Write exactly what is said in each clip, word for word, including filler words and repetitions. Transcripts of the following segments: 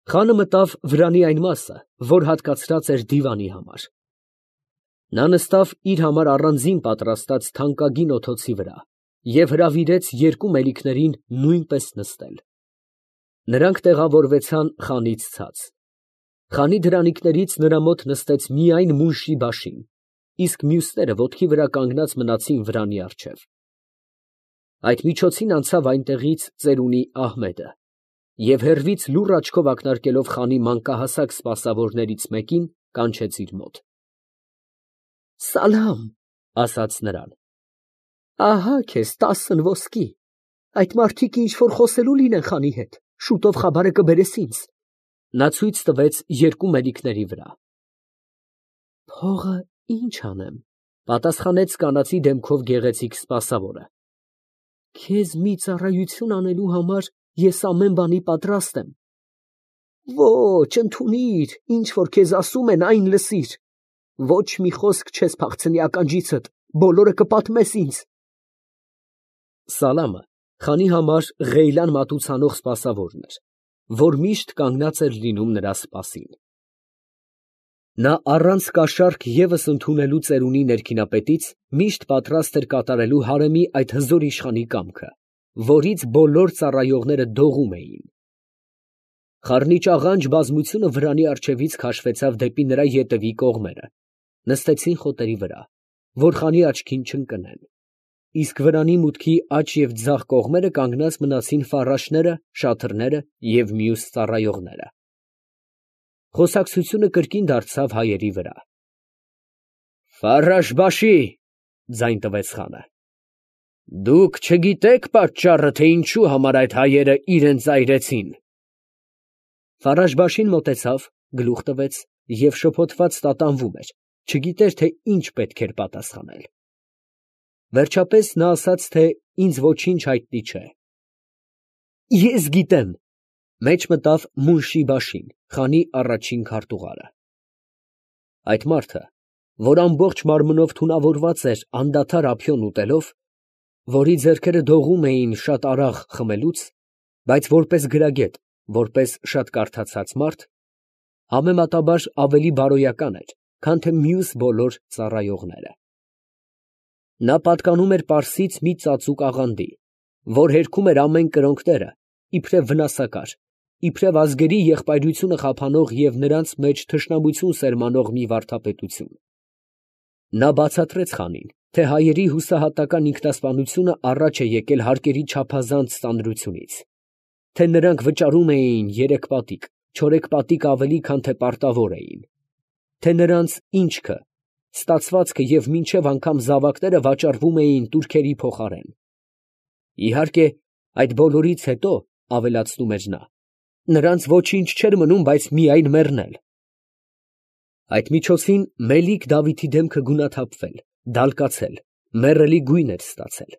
Խանը մտավ վրանի այն մասը, որ հատկացրած էր դիվանի համար. նա նստավ իր համար առանձին պատրաստած թանկագին օթոցի վրա և հրավիրեց երկու մելիքներին նույնպես նստել. նրանք տեղավորվեցան խանից ցած. խանի դրանիկներից նրա մոտ նստեց միայն Մունշի֊Բաշին, իսկ մյուսները ոտքի վրա կանգնած մնացին վրանի առջև. այդ միջոցին անցավ այնտեղից ծերունի Ահմեդը և հեռվից լուռ աչքով ակնարկելով խանի մանկահասակ սպասավորներից մեկին, կանչեց իր մոտ։ «Սալամ, ֊ ասաց նրան, ֊ ահա քեզ տասն ոսկի, այդ մարդիկ ինչ որ խոսելու լինեն խանի հետ, շուտով խաբարը կբերես ինձ։ Նա ցույց տվեց երկու մելիքների վրա։ Փողը ի՞նչ անեմ, ֊ պատասխանեց կանացի դեմքով գեղեցիկ սպասավորը։ Քեզ մի ծառայություն անելու համար ես ամեն բանի պատրաստ եմ։ Ոչ, ընդունիր, ինչ որ քեզ ասում են, այն լսիր։ Ոչ մի խոսք չես փախցնի ականջիցդ, բոլորը կպատմես ինձ։ Սալամը խանի համար Ղեյլան մատուցանող սպասավորն էր, որ միշտ կանգնած էր լինում նրա սպասին։ Նա առանց կաշառք ևս ընդունելու ծերունի ներքինապետից միշտ պատրաստ էր կատարելու հարեմի այդ հզոր իշխանի կամքը, որից բոլոր ծառայողները դողում էին։ Խառնիճ աղանջ բազմությունը վրանի առջևից քաշվեցավ դեպի նրա ետևի կողմերը, նստեցին խոտերի վրա, որ խանի աչքին չընկնեն, իսկ վրանի մուտքի աջ և ձախ կողմերը կանգնած մնացին ֆառաշները, շաթրները և մյուս ծառայողները։ Խոսակցությունը կրկին դարձավ հայերի վրա։ Ֆառաշ֊Բաշի, ֊ ձայն տվեց խանը, ֊ դուք չգիտեք պատճառը, թե ինչու համար այդ հայերը իրանց այրեցին։ Ֆառաշ֊Բաշին մոտեցավ, գլուխ տվեց և շփոթված տատանվում էր, չգիտեր, թե ինչ պետք էր պատասխանել։ Վերջապես նա ասաց, թե ինձ ոչինչ հայտնի չէ։ Ես գիտեմ, ֊ մեջ մտավ Մունշի֊Բաշին, խանի առաջին քարտուղարը։ Այդ մարդը, որ ամբողջ մարմնով թունավորված էր անդադար ափիոն ուտելով, որի ձեռքերը դողում էին շատ արագ խմելուց, բայց որպես գրագետ, որպես շատ կարդացած մարդ, համեմատաբար ավելի բարոյական էր, քան թե մյուս բոլոր ծառայողները։ Նա պատկանում էր Պարսից մի ծածուկ աղանդի, որ հերքում էր ամեն կրոնքները, իբրև վնասակար, իբրև ազգերի եղբայրությունը խափանող և նրանց մեջ թշնամություն սերմանող մի վարդապետություն։ Նա բացատրեց խանին, թե հայերի հուսահատական ինքնասպանությունը առաջ է եկել հարկերի չափազանց ծանրությունից, թե նրանք վճարում էին երեք պատիկ, չորեք պատիկ ավելի, քան թե պարտավոր էին, թե նրանց ինչքը, ստացվածքը և մինչև անգամ զավակները վաճառվում էին տուրքերի փոխարեն։ Իհարկե, այդ բոլորից հետո, ավելացնում էր նա, նրանց ոչինչ չէր մնում, բայց միայն մեռնել։ Այդ միջոցին Մելիք Դավիթի դեմքը գունաթափվել, դալկացել, մեռելի գույն էր ստացել։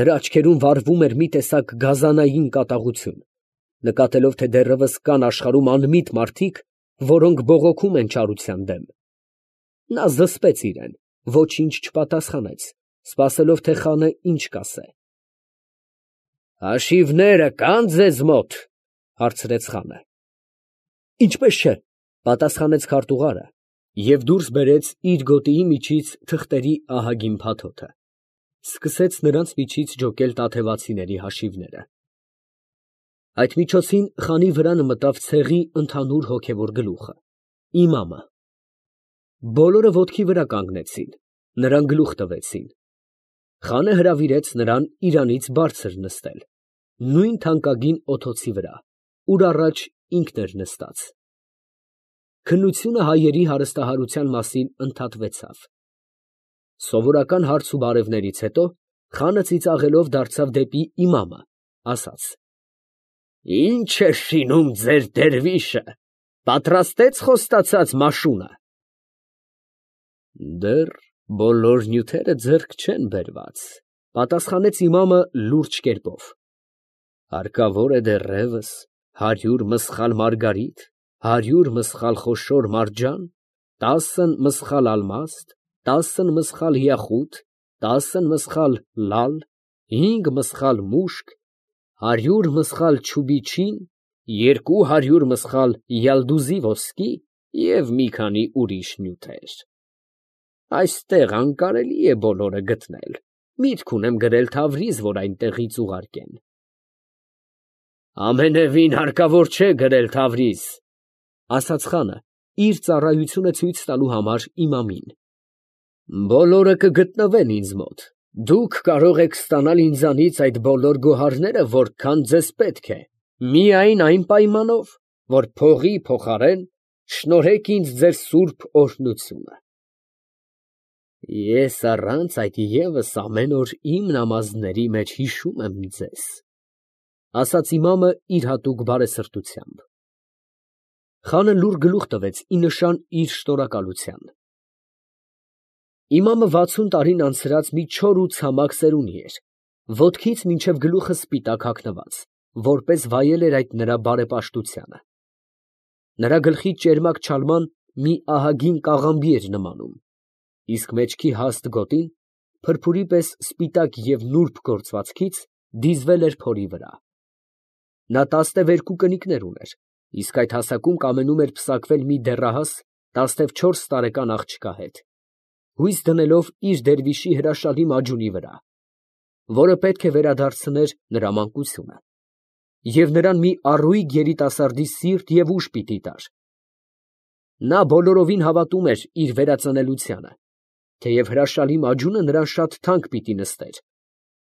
Նրա աչքերում վառվում էր մի տեսակ գազանային կատաղություն, նկատելով, թե դեռևս կան աշխարհում անմիտ մարդիկ, որոնք բողոքում են չարության դեմ։ Նա զսպեց իրեն, ոչինչ չպատասխանեց, սպասելով, թե խանը ինչ կասե։ Հաշիվները կա՞ն ձեզ մոտ, ֊ հարցրեց խանը։ Ինչպես չէ, ֊ պատասխանեց քարտուղարը և դուրս բերեց իր գոտիի միջից թղթերի ահագին փաթոթը, սկսեց նրանց միջից ջոկել տաթևացիների հաշիվները։ Այդ միջոցին խանի վրանը մտավ ցեղի ընդհանուր հոգևոր գլուխը, իմամը։ Բոլորը ոտքի վրա կանգնեցին, նրան գլուխ տվեցին։ Խանը հրավիրեց նրան իրանից բարձր նստել, նույն թանկագին օթոցի վրա, ուր առաջ ինքն էր նստած։ Քննությունը հայերի հարստահարության մասին ընդհատվեցավ։ Սովորական հարց ու բարևներից հետո խանը ծիծաղելով դարձավ դեպի իմամը, ասաց. Ի՞նչ է շինում ձեր դերվիշը, պատրաստեց խոստացած մաշունը։ Դեռ բոլոր նյութերը ձեռք չեն բերված, ֊ պատասխանեց իմամը լուրջ կերպով։ Հարկավոր է դեռևս հարյուր մսխալ մարգարիտ, հարյուր մսխալ խոշոր մարջան, տասն մսխալ ալմաստ, տասն մսխալ յախութ, տասն մսխալ լալ, հինգ մսխալ մուշկ, հարյուր մսխալ չուբիչին երկու հարյուր մսխալ յալդուզի ոսկի և մի քանի ուրիշ նյութեր։ Այստեղ անկարելի է բոլորը գտնել, միտք ունեմ գրել Թավրիզ, որ այնտեղից ուղարկեն։ Ամենևին հարկավոր չէ գրել Թավրիզ, ասաց խանը, իր ծառայությունը ցույց տալու համար իմամին։ Բոլորը կգտնվեն ինձ մոտ, դուք կարող եք ստանալ ինձանից այդ բոլոր գոհարները, որքան ձեզ պետք է, միայն այն պայմանով, որ փողի փոխարեն շնորհեք ինձ ձեր սուրբ օրհնությունը։ Ես առանց այդ ևս ամեն օր իմ նամազների մեջ հիշում եմ ձեզ, ասաց իմամը իր հատուկ բարեսրտությամբ։ Խանը լուռ գլուխ տվեց ի նշան իր շնորհակալության։ Իմամը վաթսուն տարին անցրած մի չոր ու ցամաք սերունի էր, ոտքից մինչև գլուխը սպիտակ հագնված, որպես վայել էր այդ նրա բարեպաշտությանը։ Նրա գլխի ճերմակ չալման մի ահագին կաղամբի էր նմանում, իսկ մեջքի հաստ գոտին, փրփուրի պես սպիտակ և նուրբ գործվածքից, դիզվել էր փորի վրա։ Նա տասնևերկու կնիկներ ուներ, իսկ այդ հասակում կամենում էր պսակվել մի դեռահաս տասնևչորս տարեկան աղջկա հետ, հույս դնելով իր դերվիշի հրաշալի մաջունի վրա, որը պետք է վերադարձներ նրա մանկությունը, և նրան մի առույգ երիտասարդի սիրտ և ուժ պիտի տար։ Նա բոլորովին հավատում էր իր վերածնելությանը, թեև հրաշալի մաջունը նրան շատ թանկ պիտի նստեր,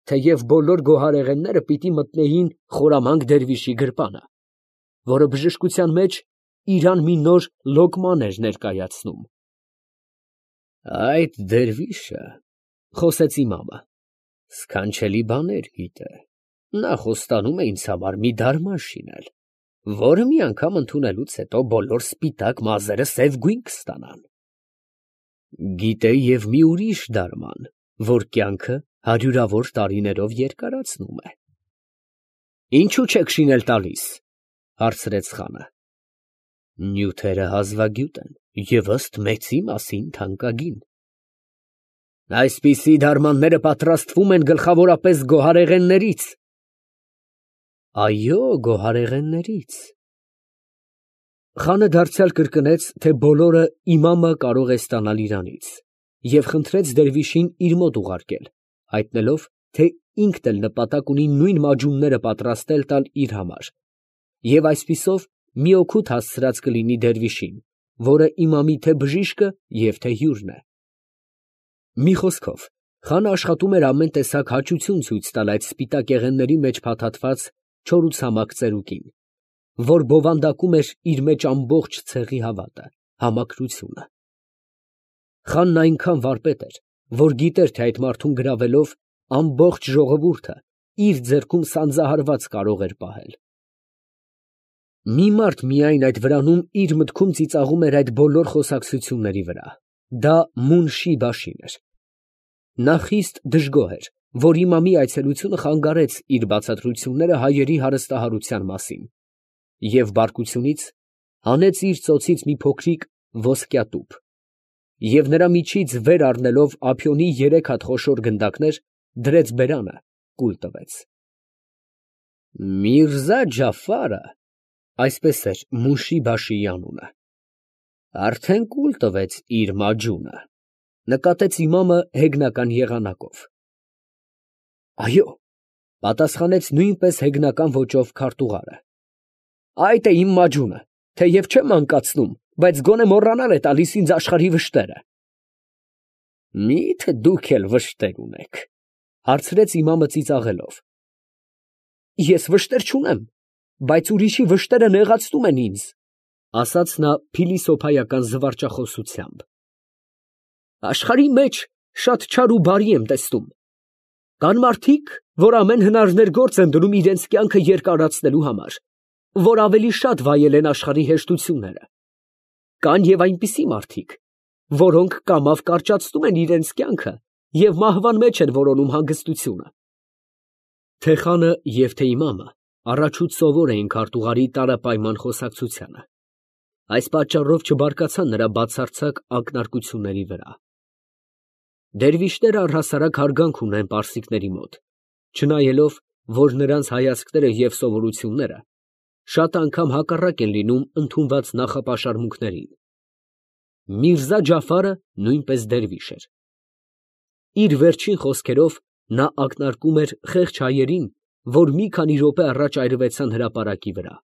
թեև բոլոր գոհարեղենները պիտի մտնեին խորամանկ դերվիշի գրպանը, որը բժշկության մեջ իրան մի նոր լոկման էր ներկայացնում։ Այդ դերվիշը, խոսեց իմամը, սքանչելի բաներ գիտե, նա խոստանում է ինձ համար մի դարման շինել, որը մի անգամ ընդունելուց հետո բոլոր սպիտակ մազերը սև գույն կստանան։ Գիտե և մի ուրիշ դարման, որ կյանքը հարյուրավոր տարիներով երկարացնում է։ Ինչու չեք շինել տալիս, հարցրեց խանը։ Նյութերը հազվագյուտ են և ըստ մեծի մասին թանկագին։ Այսպիսի դարմանները պատրաստվում են գլխավորապես գոհարեղեններից։ Այո, գոհարեղեններից։ Խանը դարձյալ կրկնեց, թե բոլորը իմամը կարող է ստանալ իրանից, և խնդրեց դերվիշին իր մոտ ուղարկել, հայտնելով, թե ինքն էլ նպատակ ունի նույն մաջունները պատրաստել տալ իր համար, և այսպիսով մի օգուտ հասցրած կլինի դերվիշին, որը իմամի թե բժիշկը և թե հյուրն է։ Մի խոսքով, խանը աշխատում էր ամեն տեսակ հաճություն ցույց տալ այդ սպիտակ եղենների մեջ փաթաթված չոր ու ցամաք ծերուկին, որ բովանդակում էր իր մեջ ամբողջ ցեղի հավատը, համակրությունը։ Խանն այնքան վարպետ էր, որ գիտեր, թե այդ մարդուն գրավելով ամբողջ ժողովուրդը իր ձեռքում սանձահարված կարող էր պահել։ Մի մարդ միայն այդ վրանում իր մտքում ծիծաղում էր այդ բոլոր խոսակցությունների վրա, դա Մունշի Բաշին էր։ Նա խիստ դժգոհ էր, որ իմամի այցելությունը խանգարեց իր բացատրությունները հայերի հարստահարության մասին, և բարկությունից հանեց իր ծոցից մի փոքրիկ ոսկյա տուփ, և նրա միջից վեր առնելով ափիոնի երեք հատ խոշոր գնդակներ, դրեց բերանը, կուլ տվեց։ Միրզա Ջաֆարը, այսպես էր Մունշի Բաշիի անունը, արդեն կուլ տվեց իր մաջունը, նկատեց իմամը հեգնական եղանակով։ Այո, պատասխանեց նույնպես հեգնական ոճով քարտուղարը, այդ է իմ մաջունը, թեև չեմ մանկացնում, բայց գոնե մոռանալ է տալիս ինձ աշխարհի վշտերը։ Մի՞թե դուք էլ վշտեր ունեք, հարցրեց իմամը ծիծաղելով։ Ես վշտեր չունեմ, բայց ուրիշի վշտերը նեղացնում են ինձ, ասաց նա փիլիսոփայական զվարճախոսությամբ։ Աշխարհի մեջ շատ չար ու բարի եմ տեսնում. կան մարդիկ, որ ամեն հնարներ գործ են դնում իրենց կյանքը երկարացնելու համար, որ ավելի շատ վայել են աշխարհի հեշտությունները. կան և այնպիսի մարդիկ, որոնք կամավ կարճացնում են իրենց կյանքը և մահվան մեջ են որոնում հանգստությունը։ Թե խանը և թե իմամը առաջուց սովոր էին քարտուղարի տարապայման խոսակցությանը, այս պատճառով չբարկացան նրա բացարձակ ակնարկությունների վրա։ Դերվիշները առհասարակ հարգանք ունեն պարսիկների մոտ, չնայելով, որ նրանց հայացքները և սովորությունները շատ անգամ հակառակ են լինում ընդունված նախապաշարմունքներին։ Միրզա Ջաֆարը նույնպես դերվիշ էր։ Իր վերջին խոսքերով նա ակնարկում էր խեղճ հայերին, որ մի քանի րոպե առաջ այրվեցան հրապարակի վրա։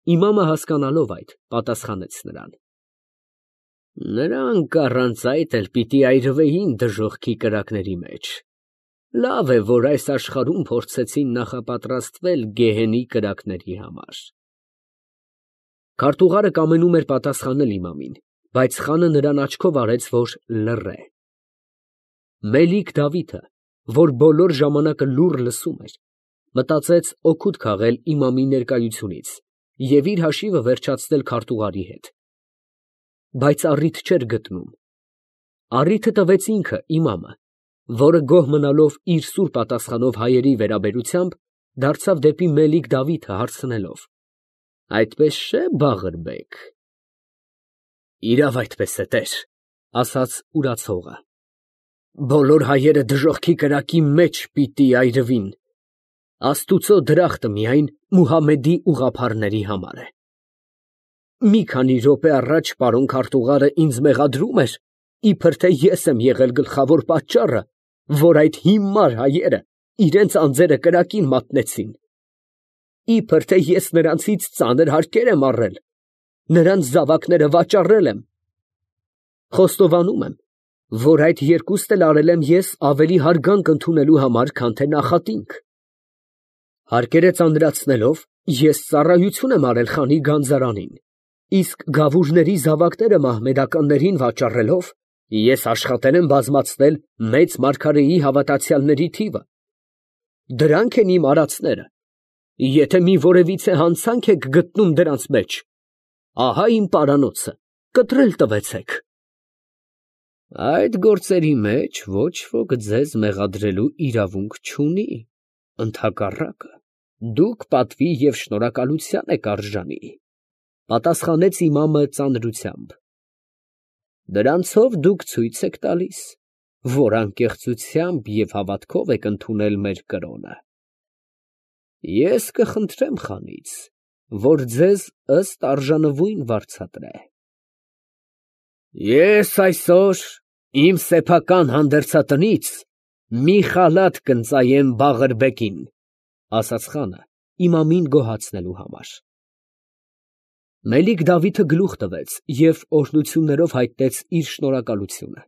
Իմամը հասկանալով այդ, պատասխանեց նրան. Նրանք առանց այդ էլ պիտի այրվեին դժոխքի կրակների մեջ։ Լավ է, որ այս աշխարհում փորձեցին նախապատրաստվել գեհենի կրակների համար։ Քարտուղարը կամենում էր պատասխանել իմամին, բայց խանը նրան աչքով արեց, որ լռե։ Մելիք Դավիթը, որ բոլոր ժամանակը լուռ լսում էր, մտածեց օգուտ քաղել իմամի ներկայությունից և իր հաշիվը վերջացնել քարտուղարի հետ։ Բայց առիթ չէր գտնում։ Առիթը տվեց ինքը, իմամը, որը գոհ մնալով իր սուր պատասխանով հայերի վերաբերությամբ, դարձավ դեպի Մելիք Դավիթը հարցնելով. Այդպես չէ՞, Բաղրբեկ։ Իրավ այդպես է, տեր, ասաց ուրացողը։ Բոլոր հայերը դժոխքի կրակի մեջ պիտի այրվին։ Աստուծո դրախտը միայն Մուհամմեդի ուղղափառների համար է։ Մի քանի րոպե առաջ պարոն քարտուղարը ինձ մեղադրում էր, իբր թե ես եմ եղել գլխավոր պատճառը, որ այդ հիմար հայերը իրենց անձերը կրակին մատնեցին։ Իբր թե ես նրանցից ծանր հարկեր եմ առել, նրանց զավակները վաճառել եմ։ Խոստովանում եմ, որ այդ երկուստ էլ արել եմ ես ավելի հարգանք ընդունելու համար, քան թե նախատինք։ Հարկերը ծանրացնելով, ես ծառայություն եմ արել խանի գանձարանին, իսկ գավուրների զավակները մահմեդականներին վաճառելով, ես աշխատել եմ բազմացնել մեծ մարգարեի հավատացյալների թիվը։ Դրանք են իմ արածները։ Եթե մի որևիցե հանցանք եք գտնում դրանց մեջ, ահա իմ պարանոցը, կտրել տվեցեք։ Այդ գործերի մեջ ոչ ոք ձեզ մեղադրելու իրավունք չունի, ընդհակառակը, դուք պատվի և շնորհակալության եք արժանի, պատասխանեց իմամը ծանրությամբ։ Դրանցով դուք ցույց եք տալիս, որ անկեղծությամբ և հավատքով եք ընդունել մեր կրոնը։ Ես կխնդրեմ խանից, որ ձեզ ըստ արժանվույն վարձատրե։ Ես այսօր իմ սեփական հանդերձատնից մի խալաթ կընծայեմ Բաղրբեկին, ասաց խանը, իմամին գոհացնելու համար։ Մելիք Դավիթը գլուխ տվեց և օրհնություններով հայտնեց իր շնորհակալությունը։